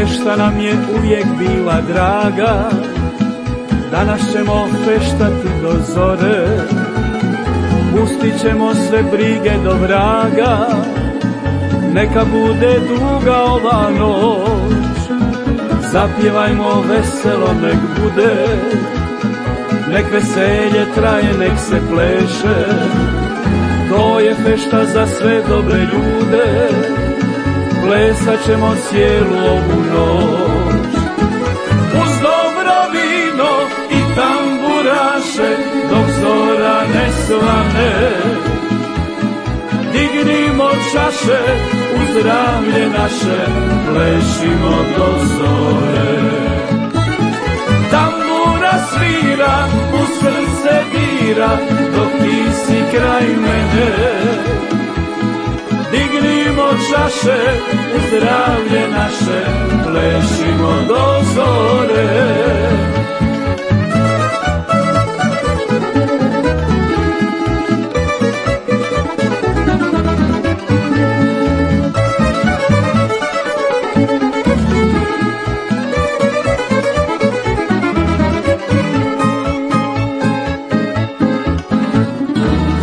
fešta nam je uvijek bila draga, danas ćemo feštati do zore, pustit ćemo sve brige do vraga, neka bude duga ova noć, zapjevajmo veselo nek bude, nek veselje traje, nek se pleše, to je fešta za sve dobre ljude, plesat ćemo cijelu ovu noć. Uz dobro vino i tamburaše, dok zora ne svane, dignimo čaše, uz zdravlje naše, plešimo do zore. Tambura svira, u srce dira, dok ti si kraj mene, dignimo čaše, uz zdravlje naše, plešimo do zore.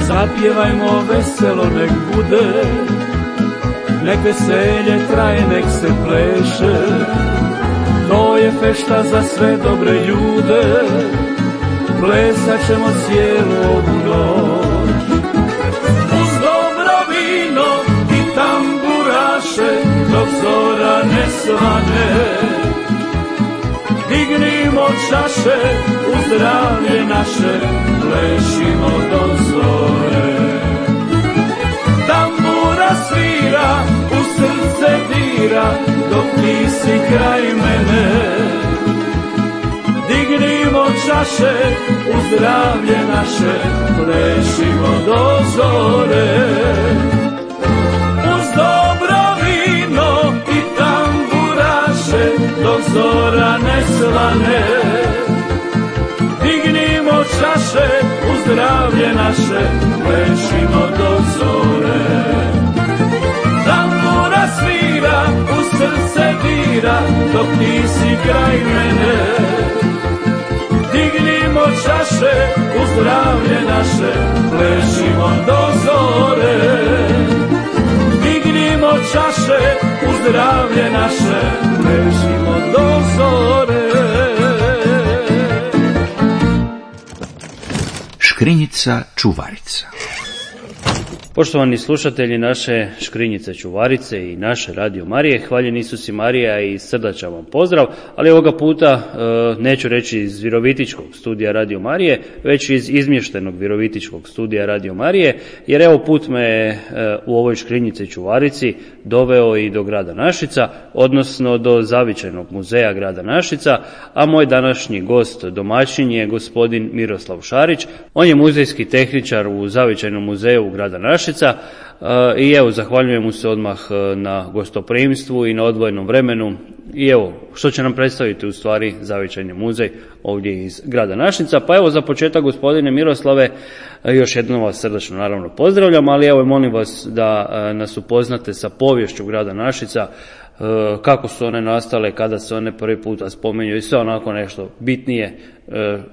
Zapjevajmo veselo nek bude, nek veselje traje, nek se pleše, to je fešta za sve dobre ljude, plesat ćemo cijelu ovu noć. Uz dobro vino i tamburaše, dok zora ne svane, dignimo čaše, uz zdravlje naše, plešimo do zore. Tambura svira, u srce dira, dok ti si kraj mene, dignimo čaše, uz zdravlje naše, plešimo do zore. Uz dobro vino i tamburaše, dok zora ne svane, dignimo čaše, uz zdravlje naše, plešimo do zore. Tambura svira, u srce dira, dok ti si kraj mene, dignimo čaše, uz zdravlje naše, plešimo do zore. Dignimo čaše, uz zdravlje naše, plešimo do zore. Škrinjica čuvarica. Poštovani slušatelji naše Škrinjice čuvarice i naše Radio Marije, hvaljen Isus i Marija i srdačan vam pozdrav, ali ovoga puta neću reći iz Virovitičkog studija Radio Marije, već iz izmještenog Virovitičkog studija Radio Marije, jer evo put me u ovoj Škrinjici čuvarici doveo i do grada Našica, odnosno do zavičajnog muzeja grada Našica, a moj današnji gost domaćin je gospodin Miroslav Šarić. On je muzejski tehničar u zavičajnom muzeju grada Našica i evo zahvaljujem mu se odmah na gostoprimstvu i na odvojenom vremenu i evo što će nam predstaviti u stvari zavičajni muzej ovdje iz grada Našica. Pa evo za početak gospodine Miroslave, još jednom vas srdačno naravno pozdravljam, ali evo molim vas da nas upoznate sa poviješću grada Našica, kako su one nastale, kada se one prvi puta spominju i sve onako nešto bitnije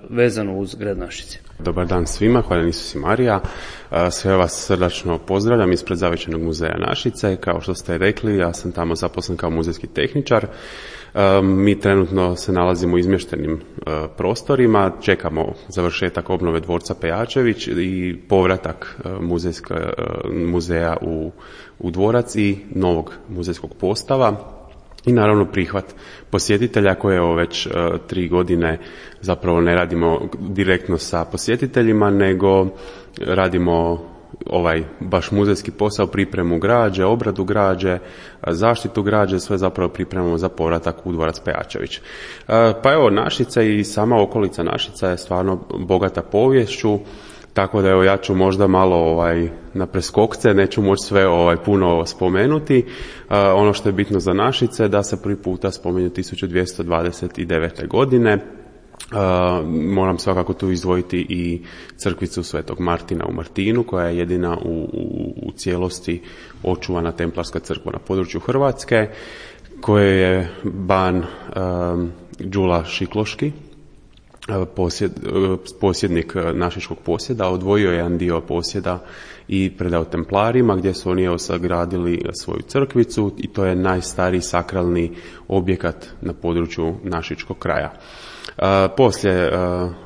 vezano uz grad Našice. Dobar dan svima, hvala Isus i Marija. Sve vas srdačno pozdravljam ispred Zavičajnog muzeja Našice. Kao što ste rekli, ja sam tamo zaposlen kao muzejski tehničar. Mi trenutno se nalazimo u izmještenim prostorima, čekamo završetak obnove dvorca Pejačević i povratak muzeja u dvorac i novog muzejskog postava. I naravno prihvat posjetitelja koje evo već 3 godine zapravo ne radimo direktno sa posjetiteljima, nego radimo ovaj baš muzejski posao, pripremu građe, obradu građe, zaštitu građe, sve zapravo pripremamo za povratak u dvorac Pejačević. Pa evo, Našica i sama okolica Našica je stvarno bogata poviješću. Tako da evo ja ću možda malo na preskokce, neću moći sve puno spomenuti. Ono što je bitno za Našice da se prvi puta spominju 1229. godine. Moram svakako tu izdvojiti i crkvicu Svetog Martina u Martinu, koja je jedina u cijelosti očuvana templarska crkva na području Hrvatske. koje je ban Đula Šikloški, posjednik našičkog posjeda, odvojio jedan dio posjeda i predao Templarima, gdje su oni sagradili svoju crkvicu i to je najstariji sakralni objekat na području našičkog kraja. Poslije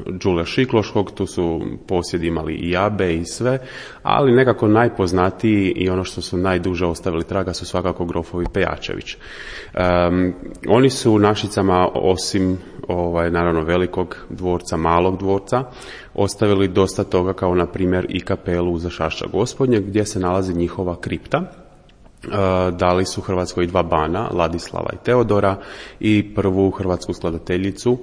Đule Šikloškog tu su posjedi imali i Jabe i sve, ali nekako najpoznatiji i ono što su najduže ostavili traga su svakako grofovi Pejačević. Oni su u Našicama, osim naravno velikog dvorca, malog dvorca, ostavili dosta toga, kao na primjer i kapelu za Zašašća Gospodnje gdje se nalazi njihova kripta. Dali su Hrvatskoj 2 bana, Ladislava i Teodora, i prvu hrvatsku skladateljicu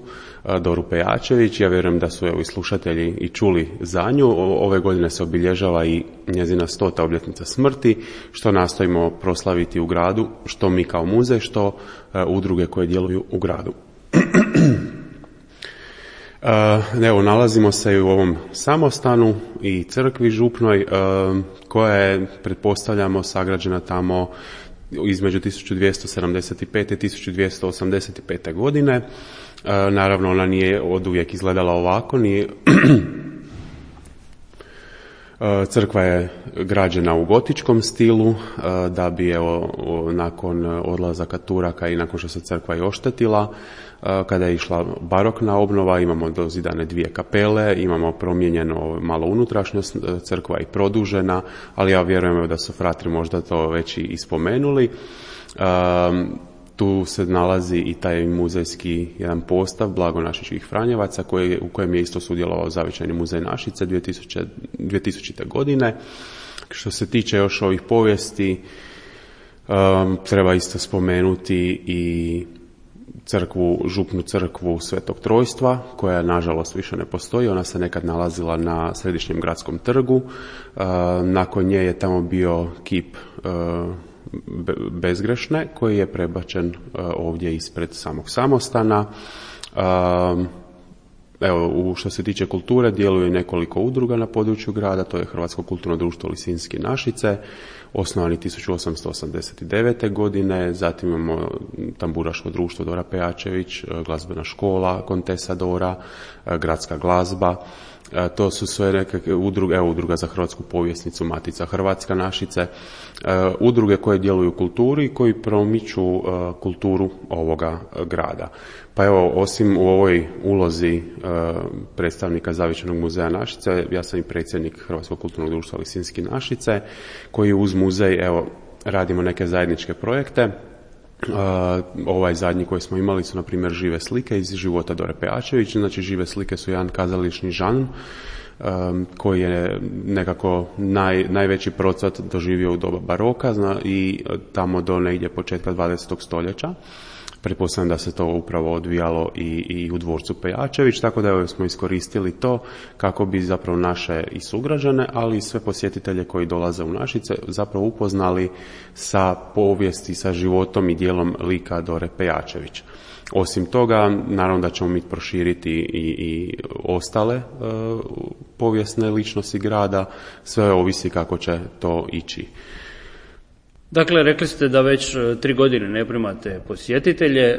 Doru Pejačević. Ja vjerujem da su i slušatelji i čuli za nju. Ove godine se obilježava i njezina 100. obljetnica smrti, što nastojimo proslaviti u gradu, što mi kao muzej, što udruge koje djeluju u gradu. Evo, nalazimo se i u ovom samostanu i crkvi župnoj, koja je, pretpostavljamo, sagrađena tamo između 1275. i 1285. godine. Naravno, ona nije oduvijek izgledala ovako, nije... Crkva je građena u gotičkom stilu, da bi nakon odlazaka Turaka i nakon što se crkva i oštetila, kada je išla barokna obnova, imamo dozidane 2 kapele, imamo promijenjeno malo unutrašnjost, crkva je produžena, ali ja vjerujem da su fratri možda to već i spomenuli. Tu se nalazi i taj muzejski jedan postav blagonašičkih Franjevaca u kojem je isto sudjelovao Zavičajni muzej Našice 2000. godine. Što se tiče još ovih povijesti, treba isto spomenuti i župnu crkvu Svetog Trojstva, koja nažalost više ne postoji. Ona se nekad nalazila na središnjem gradskom trgu. Nakon nje je tamo bio kip Bezgrešne, koji je prebačen ovdje ispred samog samostana. Evo, što se tiče kulture, djeluje nekoliko udruga na području grada. To je Hrvatsko kulturno društvo Lisinski Našice, osnovani 1889. godine. Zatim imamo Tamburaško društvo Dora Pejačević, glazbena škola Kontesa Dora, gradska glazba. To su sve nekakve udruge, udruga za hrvatsku povjesnicu Matica Hrvatska Našice, udruge koje djeluju u kulturi i koji promiču kulturu ovoga grada. Pa evo, osim u ovoj ulozi predstavnika Zavičajnog muzeja Našice, ja sam i predsjednik Hrvatskog kulturnog društva Lisinski Našice, koji uz muzej radimo neke zajedničke projekte. Ovaj zadnji koji smo imali su na primjer žive slike iz života Dore Pejačević. Znači, žive slike su jedan kazališni žanr koji je nekako najveći procvat doživio u doba baroka i tamo do negdje početka 20. stoljeća. Pretpostavljam da se to upravo odvijalo i u dvorcu Pejačević, tako da smo iskoristili to kako bi zapravo naše i sugrađane, ali i sve posjetitelje koji dolaze u Našice zapravo upoznali sa povijesti, sa životom i dijelom lika Dore Pejačević. Osim toga, naravno da ćemo mi proširiti i ostale povijesne ličnosti grada, sve ovisi kako će to ići. Dakle, rekli ste da već 3 godine ne primate posjetitelje.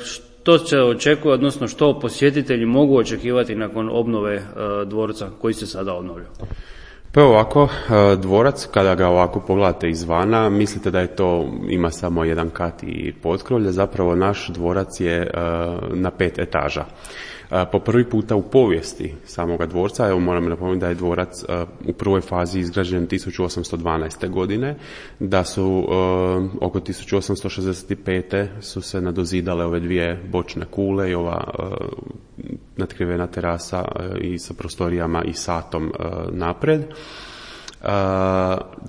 Što se očekuje, odnosno što posjetitelji mogu očekivati nakon obnove dvorca koji se sada obnovlja? Pa ovako, dvorac, kada ga ovako pogledate izvana, mislite da je to, ima samo jedan kat i potkrovlje. Zapravo naš dvorac je na 5 etaža. Po prvi puta u povijesti samoga dvorca, evo moram napomenuti da je dvorac u prvoj fazi izgrađen 1812. godine, da su oko 1865. su se nadozidale ove 2 bočne kule i ova natkrivena terasa i sa prostorijama i satom napred.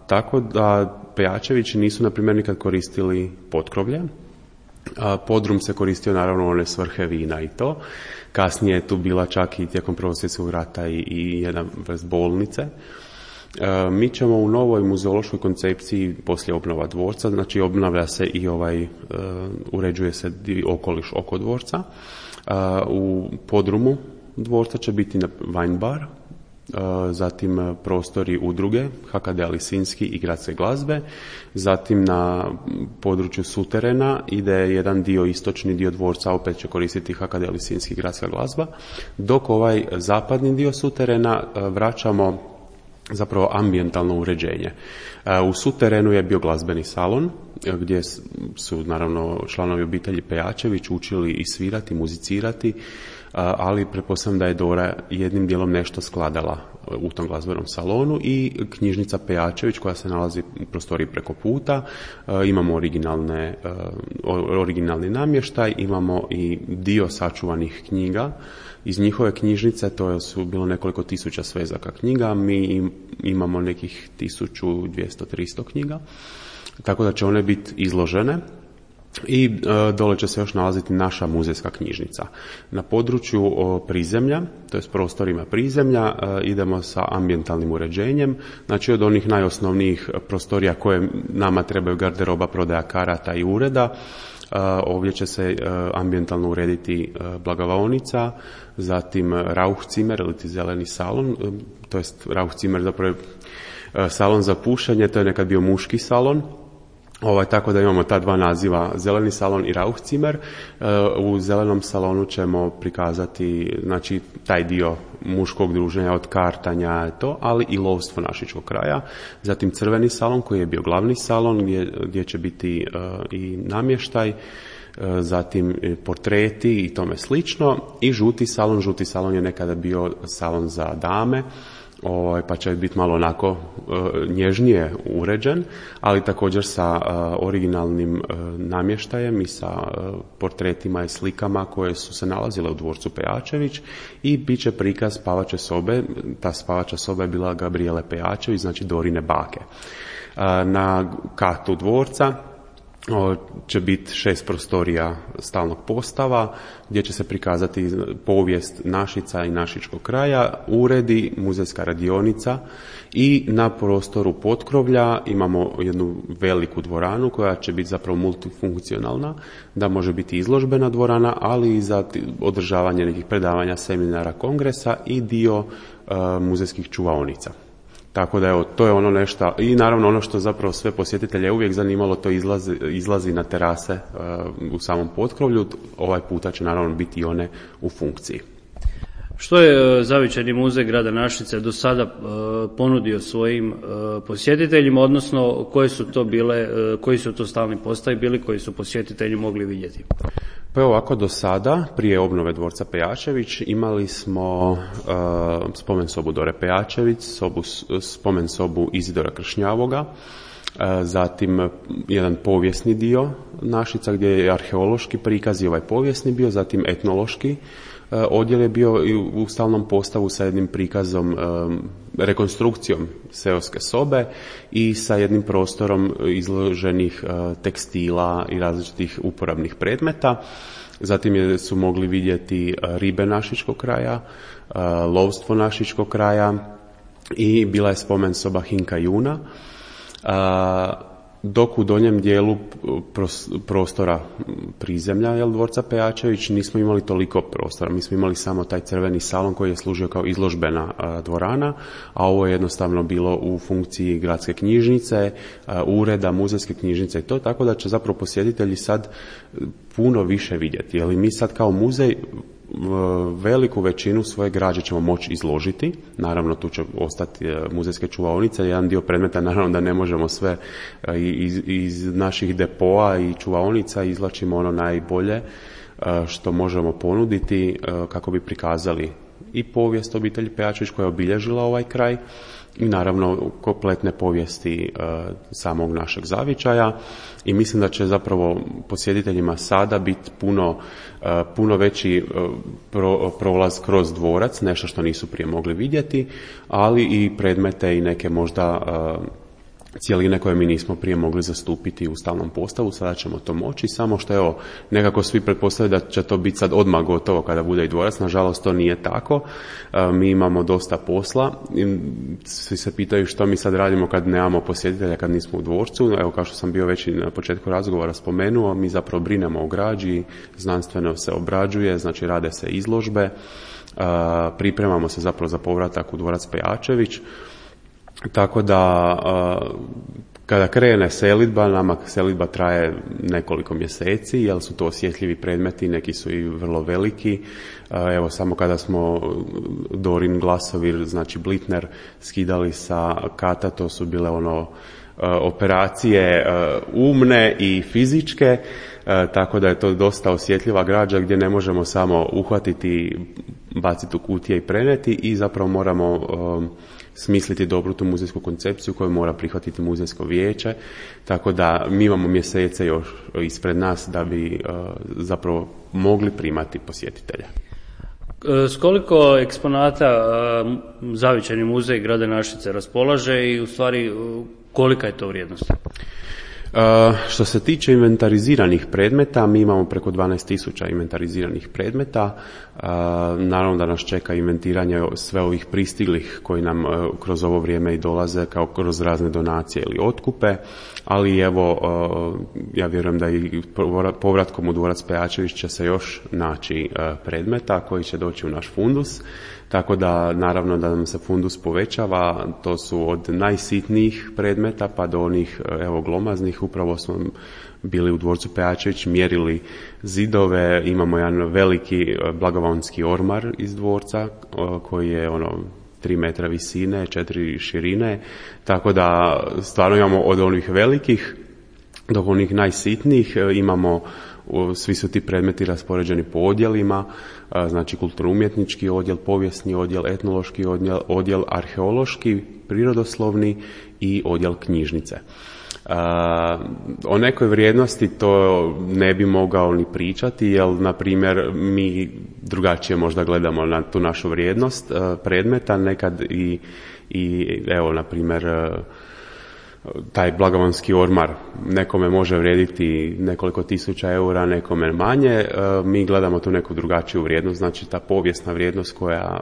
Tako da Pejačevići nisu na primjer nikad koristili potkrovlje. Podrum se koristio naravno u one svrhe vina i to. Kasnije je tu bila čak i tijekom Prvog svjetskog rata i jedna vrst bolnice. Mi ćemo u novoj muzeološkoj koncepciji poslije obnova dvorca, znači obnavlja se i uređuje se okoliš oko dvorca. U podrumu dvorca će biti wine bar zatim prostori udruge HKD Lisinski i gradske glazbe, zatim na području suterena ide jedan dio, istočni dio dvorca, opet će koristiti HKD Lisinski i gradska glazba, dok ovaj zapadni dio suterena vraćamo zapravo ambijentalno uređenje. U suterenu je bio glazbeni salon gdje su naravno članovi obitelji Pejačević učili i svirati, muzicirati, ali pretpostavljam da je Dora jednim dijelom nešto skladala u tom glazbenom salonu, i knjižnica Pejačević koja se nalazi u prostoriji preko puta. Imamo originalni namještaj, imamo i dio sačuvanih knjiga iz njihove knjižnice, to su bilo nekoliko tisuća svezaka knjiga, mi imamo nekih 1200-300 knjiga, tako da će one biti izložene. I dole će se još nalaziti naša muzejska knjižnica. Na području prizemlja, to je s prostorima prizemlja, idemo sa ambijentalnim uređenjem, znači od onih najosnovnijih prostorija koje nama trebaju, garderoba, prodaja karata i ureda. Ovdje će se ambijentalno urediti blagavaonica, zatim Rauchzimmer ili zeleni salon, to jest Rauchzimmer zapravo je salon za pušenje, to je nekad bio muški salon. Tako da imamo ta dva naziva, zeleni salon i Rauchzimmer. U zelenom salonu ćemo prikazati, znači, taj dio muškog druženja od kartanja, ali i lovstvo našičkog kraja. Zatim crveni salon koji je bio glavni salon gdje će biti i namještaj, zatim portreti i tome slično. I žuti salon je nekada bio salon za dame, pa će biti malo onako nježnije uređen, ali također sa originalnim namještajem i sa portretima i slikama koje su se nalazile u dvorcu Pejačević, i bit će prikaz spavače sobe. Ta spavača soba je bila Gabriele Pejačević, znači Dorine bake. Na katu dvorca će biti 6 prostorija stalnog postava gdje će se prikazati povijest Našica i našičkog kraja, uredi, muzejska radionica, i na prostoru potkrovlja imamo jednu veliku dvoranu koja će biti zapravo multifunkcionalna, da može biti izložbena dvorana, ali i za održavanje nekih predavanja, seminara, kongresa i dio muzejskih čuvaonica. Tako da evo, to je ono nešto, i naravno ono što zapravo sve posjetitelje uvijek zanimalo, to izlazi na terase u samom potkrovlju. Ovaj puta će naravno biti i one u funkciji. Što je Zavičajni muzej grada Našice do sada ponudio svojim posjetiteljima, odnosno koji su to stalni postavi bili koji su posjetitelji mogli vidjeti? Pa evo ovako, do sada, prije obnove dvorca Pejačević, imali smo spomen sobu Dore Pejačević, spomen sobu Izidora Kršnjavoga, zatim jedan povijesni dio Našica gdje je arheološki prikaz i ovaj povijesni bio, zatim etnološki odjel je bio u stalnom postavu sa jednim prikazom, rekonstrukcijom seoske sobe i sa jednim prostorom izloženih tekstila i različitih uporabnih predmeta. Zatim su mogli vidjeti ribe našičkog kraja, lovstvo našičkog kraja i bila je spomen soba Hinka Juna. Dok u donjem dijelu prostora prizemlja dvorca Pejačević nismo imali toliko prostora. Mi smo imali samo taj crveni salon koji je služio kao izložbena dvorana, a ovo je jednostavno bilo u funkciji gradske knjižnice, ureda, muzejske knjižnice i to, tako da će zapravo posjetitelji sad puno više vidjeti. Jer mi sad kao muzej veliku većinu svoje građe ćemo moći izložiti. Naravno, tu će ostati muzejske čuvaonice. Jedan dio predmeta, naravno da ne možemo sve iz naših depoa i čuvaonica izvlačimo ono najbolje što možemo ponuditi kako bi prikazali i povijest obitelji Pejačević koja je obilježila ovaj kraj i naravno kompletne povijesti samog našeg zavičaja. I mislim da će zapravo posjetiteljima sada biti puno veći prolaz kroz dvorac, nešto što nisu prije mogli vidjeti, ali i predmete i neke možda cjeline koje mi nismo prije mogli zastupiti u stalnom postavu, sada ćemo to moći, samo što evo, nekako svi pretpostavljaju da će to biti sad odmah gotovo kada bude i dvorac, nažalost to nije tako, mi imamo dosta posla, svi se pitaju što mi sad radimo kad nemamo posjetitelja, kad nismo u dvorcu, evo kao što sam bio već i na početku razgovora spomenuo, mi zapravo brinemo o građi, znanstveno se obrađuje, znači rade se izložbe, pripremamo se zapravo za povratak u dvorac Pejačević. Tako da kada krene selidba, nama selidba traje nekoliko mjeseci, jer su to osjetljivi predmeti, neki su i vrlo veliki. Evo samo kada smo Dorin Glasovir, znači Blitner, skidali sa kata, to su bile operacije umne i fizičke, tako da je to dosta osjetljiva građa gdje ne možemo samo uhvatiti, baciti u kutije i preneti i zapravo moramo smisliti dobru tu muzejsku koncepciju koju mora prihvatiti muzejsko vijeće, tako da mi imamo mjesece još ispred nas da bi zapravo mogli primati posjetitelja. S koliko eksponata Zavičajni muzej grada Našice raspolaže i u stvari kolika je to vrijednost? Što se tiče inventariziranih predmeta, mi imamo preko 12.000 inventariziranih predmeta. Naravno da nas čeka inventiranje sve ovih pristiglih koji nam kroz ovo vrijeme i dolaze kao kroz razne donacije ili otkupe, ali evo, ja vjerujem da i povratkom u dvorac Pejačević će se još naći predmeta koji će doći u naš fundus. Tako da naravno da nam se fundus povećava, to su od najsitnijih predmeta pa do onih glomaznih. Upravo smo bili u dvorcu Pejačević, mjerili zidove, imamo jedan veliki blagovaonski ormar iz dvorca koji je 3 metra visine, 4 širine, tako da stvarno imamo od onih velikih do onih najsitnijih, imamo, svi su ti predmeti raspoređeni po odjelima, znači kulturno-umjetnički odjel, povijesni odjel, etnološki odjel, arheološki, prirodoslovni i odjel knjižnice. O nekoj vrijednosti to ne bi mogao ni pričati, jer na primjer mi drugačije možda gledamo na tu našu vrijednost predmeta, nekad i evo na primjer taj blagovaonski ormar nekome može vrijediti nekoliko tisuća eura, nekome manje. Mi gledamo tu neku drugačiju vrijednost, znači ta povijesna vrijednost koja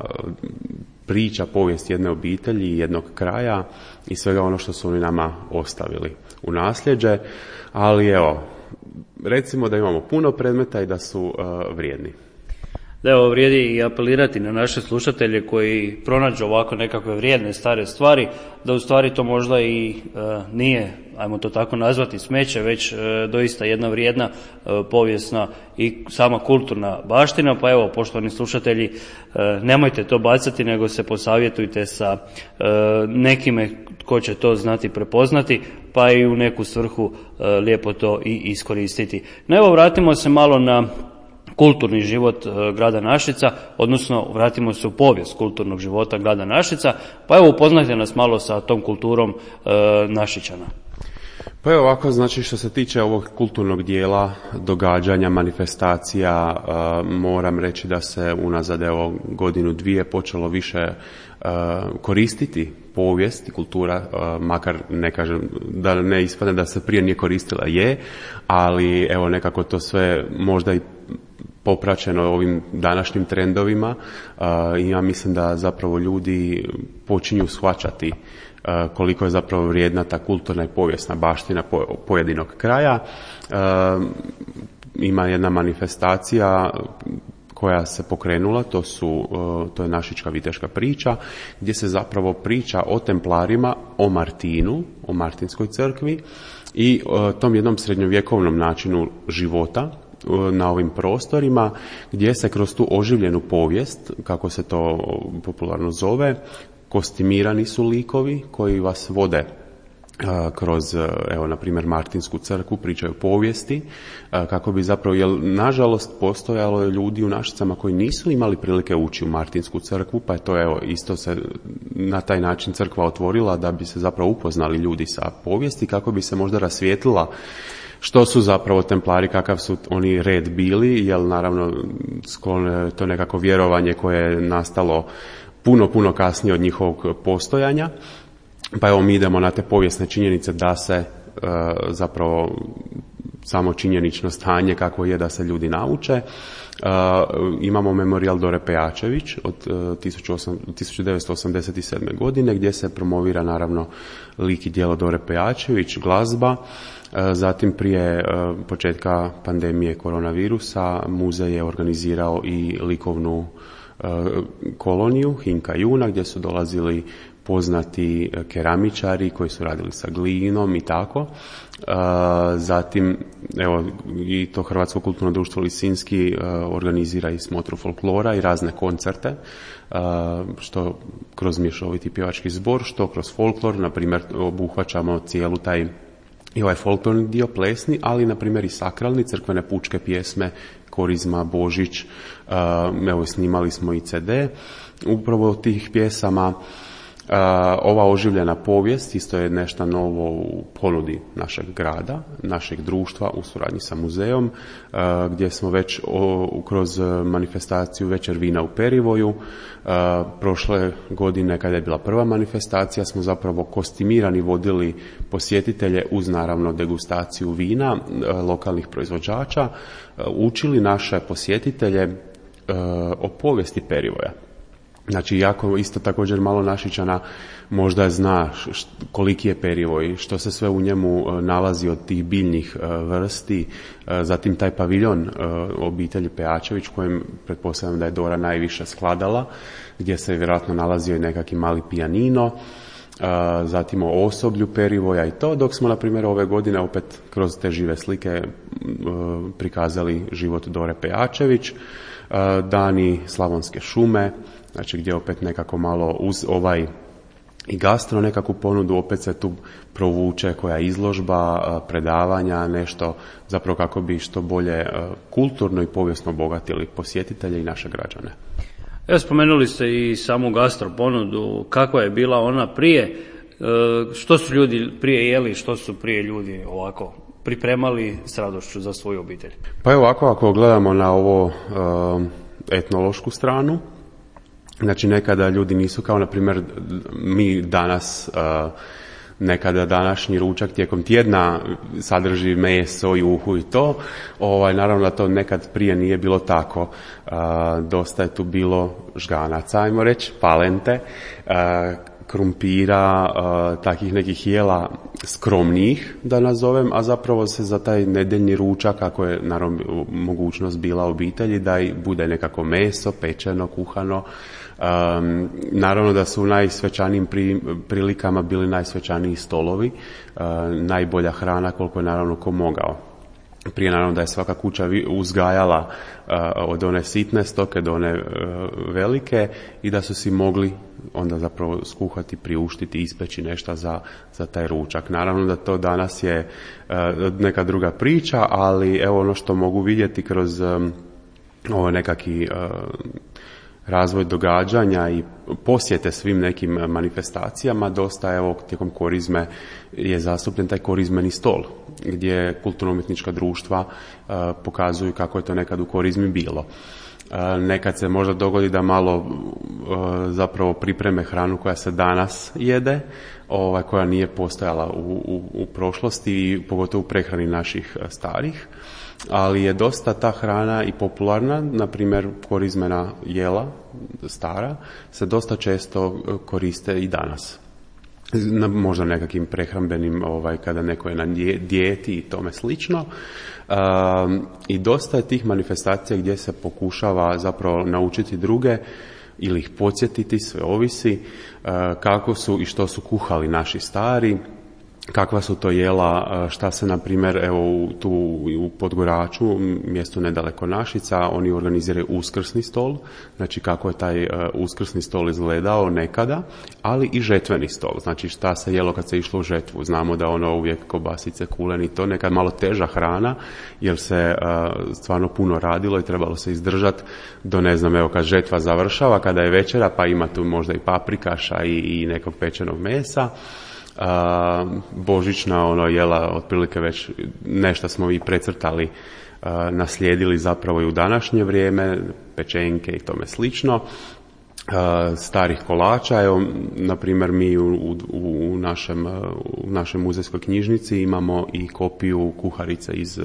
priča povijest jedne obitelji, jednog kraja i svega ono što su oni nama ostavili u nasljeđe, ali evo, recimo da imamo puno predmeta i da su vrijedni. Da, evo, vrijedi i apelirati na naše slušatelje koji pronađu ovako nekakve vrijedne stare stvari, da u stvari to možda i nije, ajmo to tako nazvati, smeće, već doista jedna vrijedna povijesna i sama kulturna baština. Pa evo, poštovani slušatelji, nemojte to bacati, nego se posavjetujte sa nekime tko će to znati prepoznati, pa i u neku svrhu lijepo to i iskoristiti. No evo, vratimo se malo na kulturni život grada Našica, odnosno vratimo se u povijest kulturnog života grada Našica, pa evo upoznajte nas malo sa tom kulturom Našičana. Pa evo ovako, znači što se tiče ovog kulturnog dijela, događanja, manifestacija, moram reći da se unazad evo godinu, dvije počelo više koristiti povijest i kultura, makar ne kažem da ne ispadne da se prije nije koristila, je, ali evo nekako to sve možda i popraćeno ovim današnjim trendovima i ja mislim da zapravo ljudi počinju shvaćati koliko je zapravo vrijedna ta kulturna i povijesna baština pojedinog kraja. Ima jedna manifestacija koja se pokrenula, to je Našička viteška priča, gdje se zapravo priča o templarima, o Martinu, o Martinskoj crkvi i tom jednom srednjovjekovnom načinu života na ovim prostorima, gdje se kroz tu oživljenu povijest, kako se to popularno zove, kostimirani su likovi koji vas vode kroz, evo, na primjer, Martinsku crkvu, pričaju povijesti, kako bi zapravo, jer nažalost postojalo je ljudi u Našicama koji nisu imali prilike ući u Martinsku crkvu, pa je to, evo, isto se na taj način crkva otvorila da bi se zapravo upoznali ljudi sa povijesti, kako bi se možda rasvijetlila što su zapravo templari, kakav su oni red bili, jer naravno to nekako vjerovanje koje je nastalo puno kasnije od njihovog postojanja. Pa evo mi idemo na te povijesne činjenice da se zapravo samo činjenično stanje kako je da se ljudi nauče. Imamo memorijal Dore Pejačević od 1987. godine gdje se promovira naravno lik i djelo Dore Pejačević, glazba. Zatim prije početka pandemije koronavirusa muzej je organizirao i likovnu koloniju Hinka Juna gdje su dolazili poznati keramičari koji su radili sa glinom i tako. Zatim, evo, i to Hrvatsko kulturno društvo Lisinski organizira i smotru folklora i razne koncerte, što kroz mješoviti pjevački zbor, što kroz folklor, na primjer, obuhvaćamo cijelu taj i ovaj folklorni dio plesni, ali na primjer i sakralni, crkvene pučke pjesme, Korizma, Božić, evo snimali smo i CD. Upravo od tih pjesama ova oživljena povijest isto je nešto novo u ponudi našeg grada, našeg društva u suradnji sa muzejom, gdje smo već kroz manifestaciju Večer vina u Perivoju, prošle godine kada je bila prva manifestacija smo zapravo kostimirani vodili posjetitelje uz naravno degustaciju vina lokalnih proizvođača, učili naše posjetitelje o povijesti Perivoja. Znači, jako isto također malo Našičana možda zna koliki je Perivoj, što se sve u njemu nalazi od tih biljnih vrsti, zatim taj paviljon obitelji Pejačević, kojem pretpostavljam da je Dora najviše skladala, gdje se vjerojatno nalazio i nekakvi mali pijanino, zatim o osoblju Perivoja i to, dok smo na primjer ove godine opet kroz te žive slike prikazali život Dore Pejačević, dani Slavonske šume, znači gdje opet nekako malo uz ovaj i gastro nekakvu ponudu opet se tu provuče koja izložba, predavanja, nešto zapravo kako bi što bolje kulturno i povijesno obogatili posjetitelje i naše građane. Evo, spomenuli ste i samu gastro ponudu, kakva je bila ona prije, što su ljudi prije jeli, što su prije ljudi ovako pripremali s radošću za svoju obitelj? Pa evo ovako, ako gledamo na ovo etnološku stranu, znači nekada ljudi nisu kao na primjer mi danas, nekada današnji ručak tijekom tjedna sadrži meso, juhu i to, naravno da to nekad prije nije bilo tako, dosta je tu bilo žganaca, ajmo reći, palente, krumpira, takih nekih jela skromnijih da nazovem, a zapravo se za taj nedeljni ručak, ako je naravno mogućnost bila obitelji, da i bude nekako meso, pečeno, kuhano. Naravno da su u najsvećanijim prilikama bili najsvećaniji stolovi, najbolja hrana koliko je naravno ko mogao. Prije naravno da je svaka kuća uzgajala od one sitne stoke do one velike i da su si mogli onda zapravo skuhati, priuštiti, ispeći nešto za taj ručak. Naravno da to danas je neka druga priča, ali evo ono što mogu vidjeti kroz ovo nekakvi razvoj događanja i posjete svim nekim manifestacijama, dosta evo tijekom korizme je zastupljen taj korizmeni stol, gdje kulturno-umjetnička društva pokazuju kako je to nekad u korizmi bilo. Nekad se možda dogodi da malo zapravo pripreme hranu koja se danas jede, koja nije postojala u prošlosti i pogotovo u prehrani naših starih, ali je dosta ta hrana i popularna, na primjer korizmena jela stara se dosta često koriste i danas. Možda nekakvim prehrambenim, kada neko je na dijeti i tome slično. I dosta je tih manifestacija gdje se pokušava zapravo naučiti druge ili ih podsjetiti, sve ovisi, kako su i što su kuhali naši stari, kakva su to jela, šta se na primjer evo tu u Podgoraču, mjesto nedaleko Našica, oni organiziraju uskrsni stol, znači kako je taj uskrsni stol izgledao nekada, ali i žetveni stol, znači šta se jelo kad se išlo u žetvu. Znamo da ono uvijek kobasice, kulen i to, nekad malo teža hrana jer se stvarno puno radilo i trebalo se izdržati do ne znam, evo kad žetva završava, kada je večera pa ima tu možda i paprikaša i nekog pečenog mesa. Božićna jela otprilike već nešto smo i precrtali, naslijedili zapravo i u današnje vrijeme, pečenke i tome slično. starih kolača. Evo, na primjer, mi u našoj muzejskoj knjižnici imamo i kopiju kuharice iz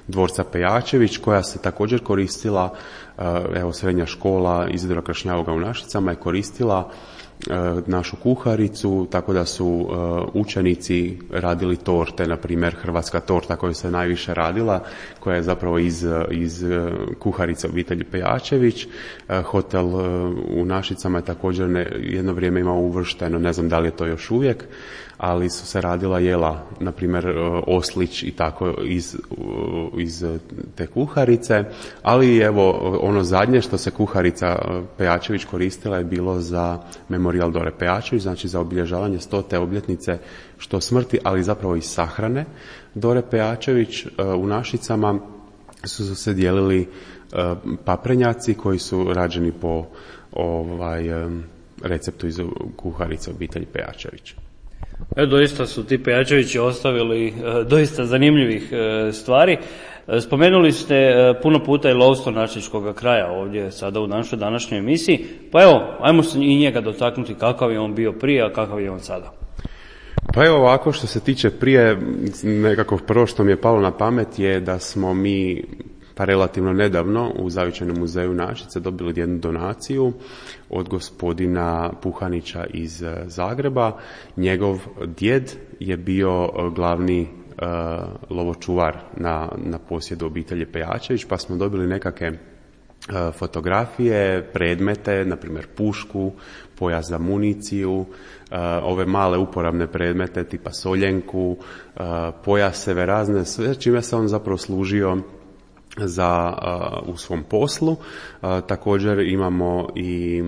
dvorca Pejačević, koja se također koristila, evo, srednja škola Izidora Kršnjavoga u Našicama je koristila našu kuharicu, tako da su učenici radili torte, na primjer hrvatska torta koja se najviše radila, koja je zapravo iz kuharice obitelji Pejačević. Hotel u Našicama je također jedno vrijeme imao uvršteno, ne znam da li je to još uvijek, ali su se radila jela, na primjer oslić i tako iz te kuharice, ali evo ono zadnje što se kuharica Pejačević koristila je bilo za Memorijal Dore Pejačević, znači za obilježavanje 100. obljetnice što smrti, ali zapravo i sahrane Dore Pejačević. U Našicama su se dijelili paprenjaci koji su rađeni po receptu iz kuharice obitelji Pejačević. Doista su ti Pejačevići ostavili doista zanimljivih stvari. Spomenuli ste puno puta i lovstvo našičkog kraja ovdje sada u našoj današnjoj emisiji, pa evo, ajmo se i njega dotaknuti, kakav je on bio prije, a kakav je on sada. Pa evo ovako, što se tiče prije, nekako prvo što mi je palo na pamet je da smo mi pa relativno nedavno u Zavičajnom muzeju Našice dobili jednu donaciju od gospodina Puhanića iz Zagreba. Njegov djed je bio glavni lovočuvar na posjedu obitelji Pejačević, pa smo dobili nekakve fotografije, predmete, na primjer pušku, pojas za municiju, ove male uporabne predmete tipa soljenku, pojaseve razne, sve čime se on zapravo služio u svom poslu. Također imamo i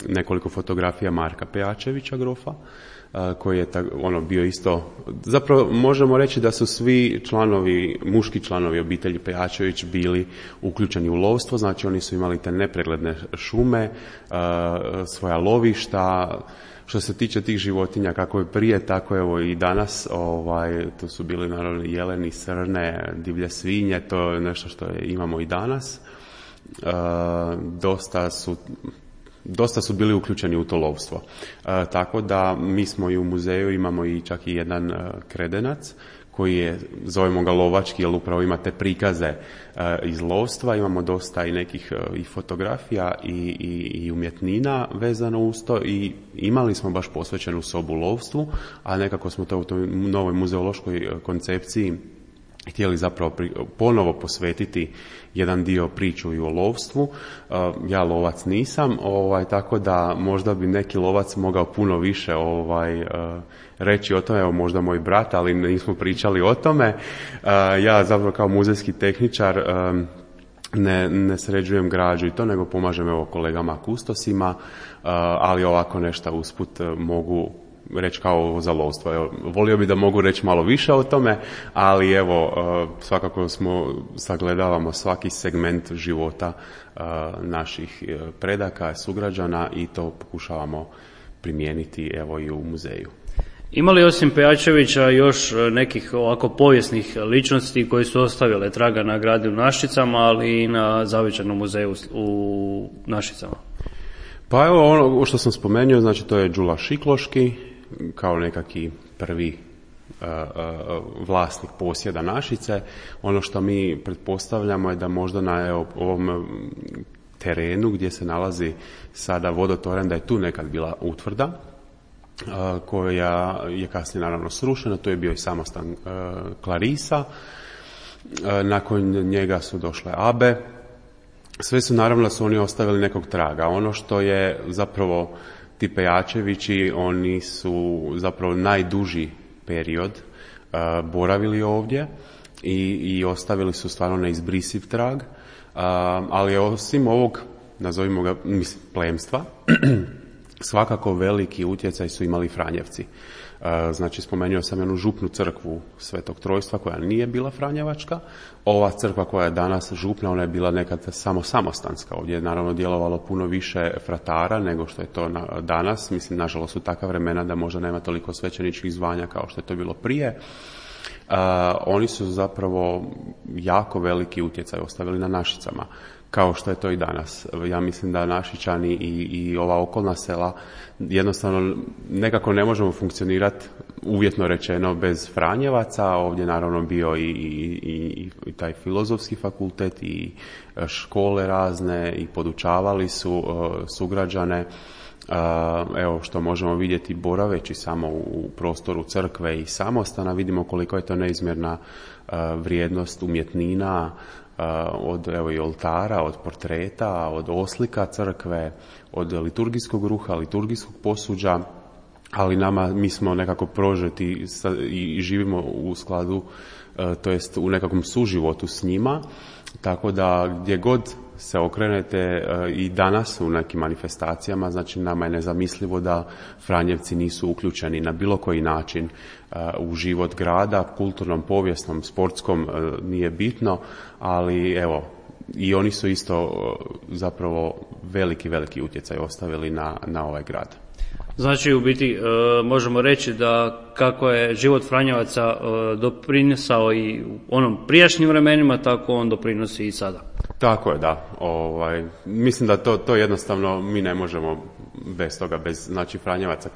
nekoliko fotografija Marka Pejačevića, grofa, koji je bio isto, zapravo možemo reći da su svi muški članovi obitelji Pejačević bili uključeni u lovstvo, znači oni su imali te nepregledne šume, svoja lovišta. Što se tiče tih životinja, kako je prije, tako evo i danas, tu su bili naravno jeleni, srne, divlje svinje, to je nešto što imamo i danas. Dosta su bili uključeni u to lovstvo. Tako da mi smo i u muzeju imamo i čak i jedan kredenac koji je, zovemo ga lovački, jer upravo ima te prikaze iz lovstva. Imamo dosta i nekih i fotografija i umjetnina vezano uz to i imali smo baš posvećenu sobu lovstvu, a nekako smo to u toj novoj muzeološkoj koncepciji htjeli zapravo ponovo posvetiti jedan dio priču i o lovstvu. Ja lovac nisam, tako da možda bi neki lovac mogao puno više reći o tome, evo možda moj brat, ali nismo pričali o tome. Ja zapravo kao muzejski tehničar ne sređujem građu i to, nego pomažem evo kolegama kustosima, ali ovako nešto usput mogu reći kao za lovstvo. Evo, volio bi da mogu reći malo više o tome, ali evo, svakako sagledavamo svaki segment života naših predaka, sugrađana i to pokušavamo primijeniti evo i u muzeju. Ima li osim Pejačevića još nekih ovako povijesnih ličnosti koji su ostavile traga na gradu u Našicama, ali i na Zavičajnom muzeju u Našicama? Pa evo ono što sam spomenuo, znači to je Đula Šikloški, kao nekaki prvi vlasnik posjeda Našice. Ono što mi pretpostavljamo je da možda na ovom terenu gdje se nalazi sada vodotoranj, da je tu nekad bila utvrda koja je kasnije naravno srušena. To je bio i samostan Klarisa. Nakon njega su došle Abe. Sve su naravno da su oni ostavili nekog traga. Ono što je zapravo ti Pejačevići, oni su zapravo najduži period boravili ovdje i ostavili su stvarno neizbrisiv trag, ali osim ovog, nazovimo ga, plemstva, svakako veliki utjecaj su imali Franjevci. Znači, spomenuo sam jednu župnu crkvu Svetog Trojstva koja nije bila franjevačka. Ova crkva koja je danas župna, ona je bila nekad samo samostanska. Ovdje je naravno djelovalo puno više fratara nego što je to danas. Mislim, nažalost su takva vremena da možda nema toliko svećeničkih zvanja kao što je to bilo prije. Oni su zapravo jako veliki utjecaj ostavili na Našicama. kao što je to i danas. Ja mislim da Našičani i ova okolna sela jednostavno nekako ne možemo funkcionirati, uvjetno rečeno, bez Franjevaca. Ovdje naravno bio i taj filozofski fakultet i škole razne i podučavali su sugrađane. Evo što možemo vidjeti boraveći samo u prostoru crkve i samostana, vidimo koliko je to neizmjerna vrijednost umjetnina, od evo i oltara, od portreta, od oslika crkve, od liturgijskog ruha, liturgijskog posuđa, ali mi smo nekako prožeti i živimo u skladu, to jest u nekakvom suživotu s njima, tako da gdje god se okrenete i danas u nekim manifestacijama, znači nama je nezamislivo da Franjevci nisu uključeni na bilo koji način u život grada, kulturnom, povijesnom, sportskom, nije bitno, ali evo, i oni su isto zapravo veliki utjecaj ostavili na ovaj grad. Znači, u biti možemo reći da kako je život Franjevaca doprinosao i u onom prijašnjim vremenima, tako on doprinosi i sada. Tako je, da. Mislim da to jednostavno mi ne možemo bez toga, bez znači Franjevaca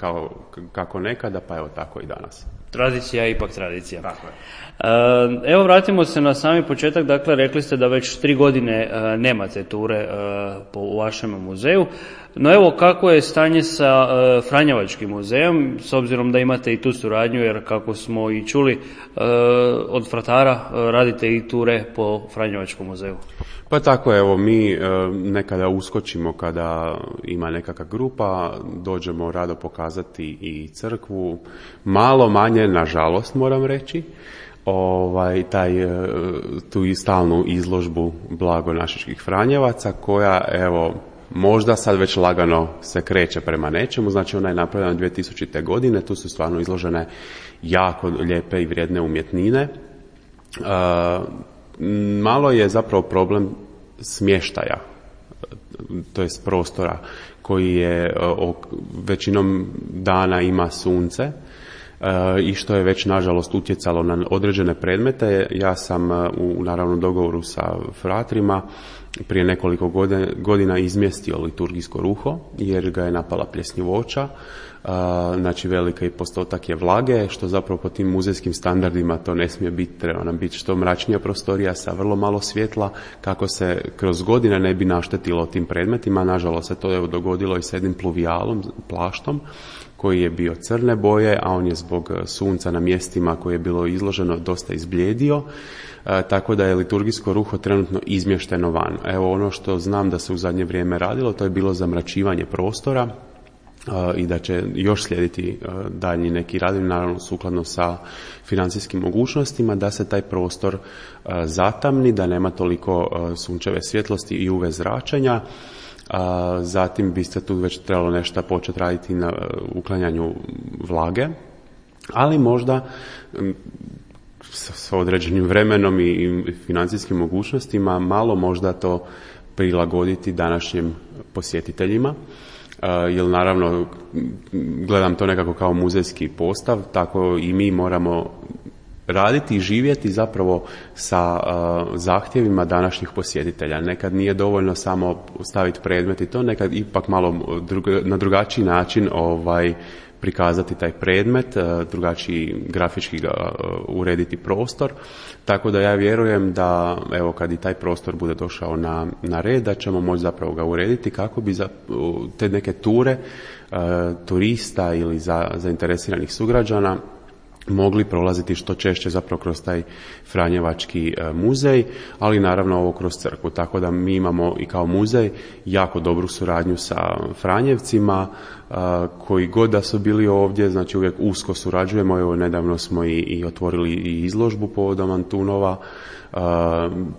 kako nekada, pa evo tako i danas. Tradicija je ipak tradicija. Tako je. Evo vratimo se na sami početak, dakle rekli ste da već 3 godine nemate ture po vašem muzeju, no evo kako je stanje sa Franjevačkim muzejom, s obzirom da imate i tu suradnju, jer kako smo i čuli od fratara radite i ture po Franjevačkom muzeju. Pa tako, evo, mi nekada uskočimo kada ima nekakva grupa, dođemo rado pokazati i crkvu, malo manje, nažalost moram reći, tu i stalnu izložbu blagonašičkih Franjevaca, koja evo možda sad već lagano se kreće prema nečemu, znači ona je napravljena 2000. godine, tu su stvarno izložene jako lijepe i vrijedne umjetnine. Malo je zapravo problem smještaja, to jest prostora koji je većinom dana ima sunce i što je već nažalost utjecalo na određene predmete. Ja sam u naravno dogovoru sa fratrima prije nekoliko godina izmjestio liturgijsko ruho jer ga je napala pljesnivoća, znači veliki postotak je vlage, što zapravo po tim muzejskim standardima to ne smije biti, treba nam biti što mračnija prostorija sa vrlo malo svjetla kako se kroz godine ne bi naštetilo tim predmetima. Nažalost se to dogodilo i s jednim pluvijalom, plaštom, koji je bio crne boje, a on je zbog sunca na mjestima koje je bilo izloženo dosta izblijedio, tako da je liturgijsko ruho trenutno izmješteno van. Evo ono što znam da se u zadnje vrijeme radilo, to je bilo zamračivanje prostora i da će još slijediti daljnji neki radovi, naravno sukladno sa financijskim mogućnostima, da se taj prostor zatamni, da nema toliko sunčeve svjetlosti i UV zračenja. Zatim bi se tu već trebalo nešto početi raditi na uklanjanju vlage, ali možda s određenim vremenom i financijskim mogućnostima malo možda to prilagoditi današnjim posjetiteljima, jer naravno gledam to nekako kao muzejski postav, tako i mi moramo raditi i živjeti zapravo sa zahtjevima današnjih posjetitelja. Nekad nije dovoljno samo staviti predmet i to, nekad ipak malo na drugačiji način prikazati taj predmet, drugačiji grafički ga urediti prostor, tako da ja vjerujem da evo kad i taj prostor bude došao na red, da ćemo moći zapravo ga urediti kako bi te neke ture turista ili zainteresiranih sugrađana mogli prolaziti što češće zapravo kroz taj Franjevački muzej, ali naravno ovo kroz crkvu. Tako da mi imamo i kao muzej jako dobru suradnju sa Franjevcima, koji god da su bili ovdje, znači uvijek usko surađujemo. Evo nedavno smo i otvorili i izložbu povodom Antunova,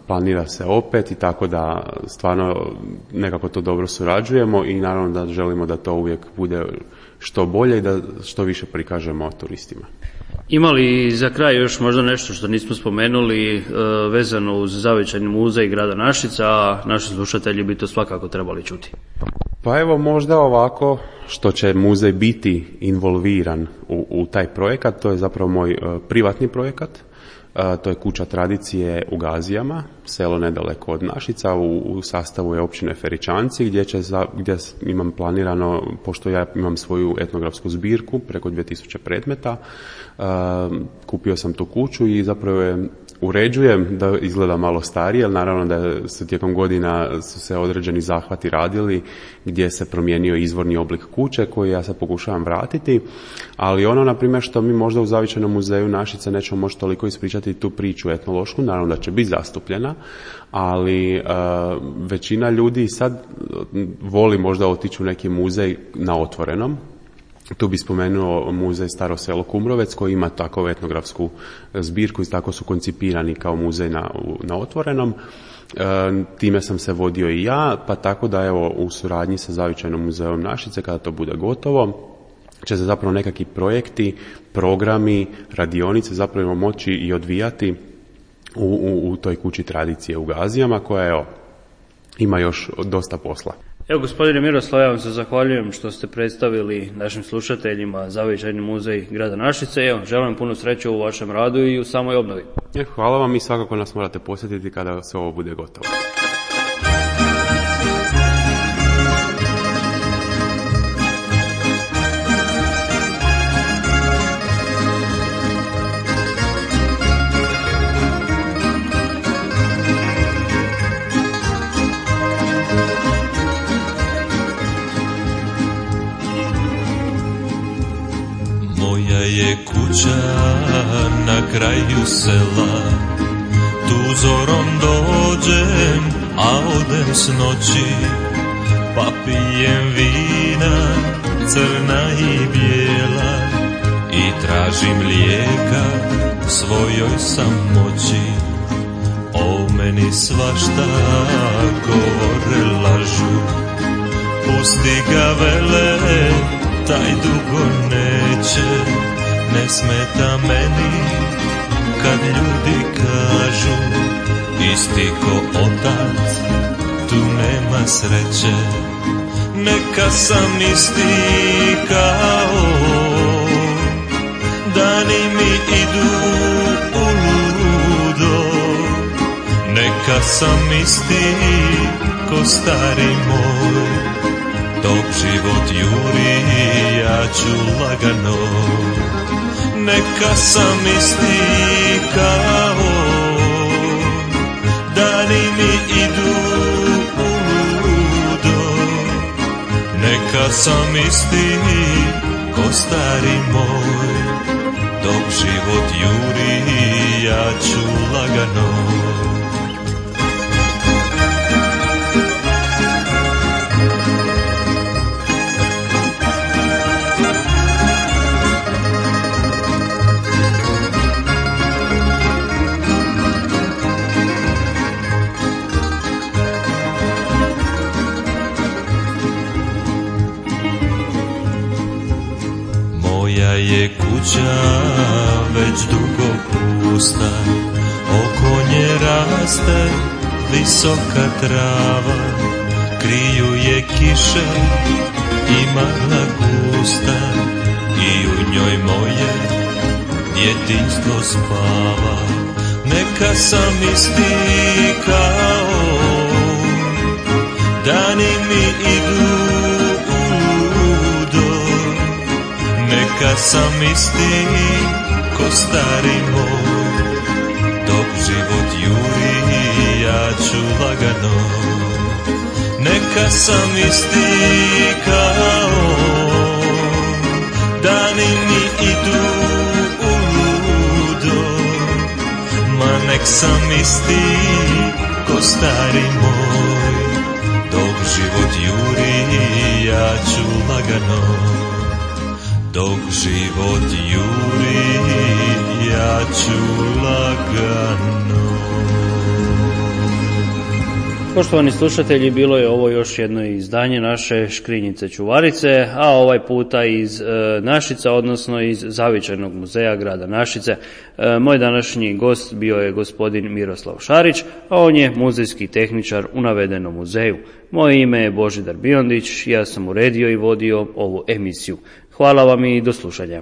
planira se opet i tako da stvarno nekako to dobro surađujemo i naravno da želimo da to uvijek bude što bolje i da što više prikažemo turistima. Ima li za kraj još možda nešto što nismo spomenuli vezano uz zavičajni muzej grada Našica, a naši slušatelji bi to svakako trebali čuti? Pa evo možda ovako što će muzej biti involviran u taj projekat, to je zapravo moj privatni projekat. To je kuća tradicije u Gazijama, selo nedaleko od Našica, u sastavu je općine Feričanci, gdje imam planirano, pošto ja imam svoju etnografsku zbirku, preko 2000 predmeta, kupio sam tu kuću i zapravo je uređujem da izgleda malo starije, ali naravno da se tijekom godina su se određeni zahvati radili gdje se promijenio izvorni oblik kuće koji ja sad pokušavam vratiti, ali ono na primjer što mi možda u Zavičajnom muzeju Našice nećemo moći toliko ispričati tu priču etnološku, naravno da će biti zastupljena, ali većina ljudi sad voli možda otići u neki muzej na otvorenom. Tu bi spomenuo muzej Staro selo Kumrovec koji ima takvu etnografsku zbirku i tako su koncipirani kao muzej na otvorenom. Time sam se vodio i ja, pa tako da evo u suradnji sa Zavičajnom muzejom Našice kada to bude gotovo će se zapravo nekakvi projekti, programi, radionice zapravo moći i odvijati u toj kući tradicije u Gazijama koja evo ima još dosta posla. Evo, gospodine Miroslav, ja vam se zahvaljujem što ste predstavili našim slušateljima Zavičajni muzej grada Našice. Evo, želim puno sreće u vašem radu i u samoj obnovi. Hvala vam i svakako nas morate posjetiti kada se ovo bude gotovo. Je kuća na kraju sela, tu zorom dođem, a odem s noći, pa pijem vina, crna i bijela, i tražim lijeka svojoj samoći. O meni svašta govore, lažu, pusti ga vele, taj dugo neće. Ne smeta meni kad ljudi kažu isti ko otac, tu nema sreće. Neka sam isti kao dani mi idu u ludo. Neka sam isti ko stari moj, dok život juri ja ću lagano. Neka sam isti kao dani mi idu u ludo. Neka sam isti ko stari moj, dok život juri ja ću lagano. Je kuća već dugo pusta, oko nje raste visoka trava, kriju je kiše i magla gusta, i u njoj moje djetinjstvo spava. Neka sam isti kao dani mi idu. Neka sam isti ko stari moj, dok život juri ja ću lagano. Neka sam isti kao dani mi idu u ludo. Ma nek sam isti ko stari moj, dok život juri ja ću lagano. Dok život juri, ja ću lagano. Poštovani slušatelji, bilo je ovo još jedno izdanje naše Škrinjice Čuvarice, a ovaj puta iz Našica, odnosno iz Zavičajnog muzeja grada Našice. Moj današnji gost bio je gospodin Miroslav Šarić, a on je muzejski tehničar u navedenom muzeju. Moje ime je Božidar Biondić, ja sam uredio i vodio ovu emisiju. Hvala vam i do slušanja.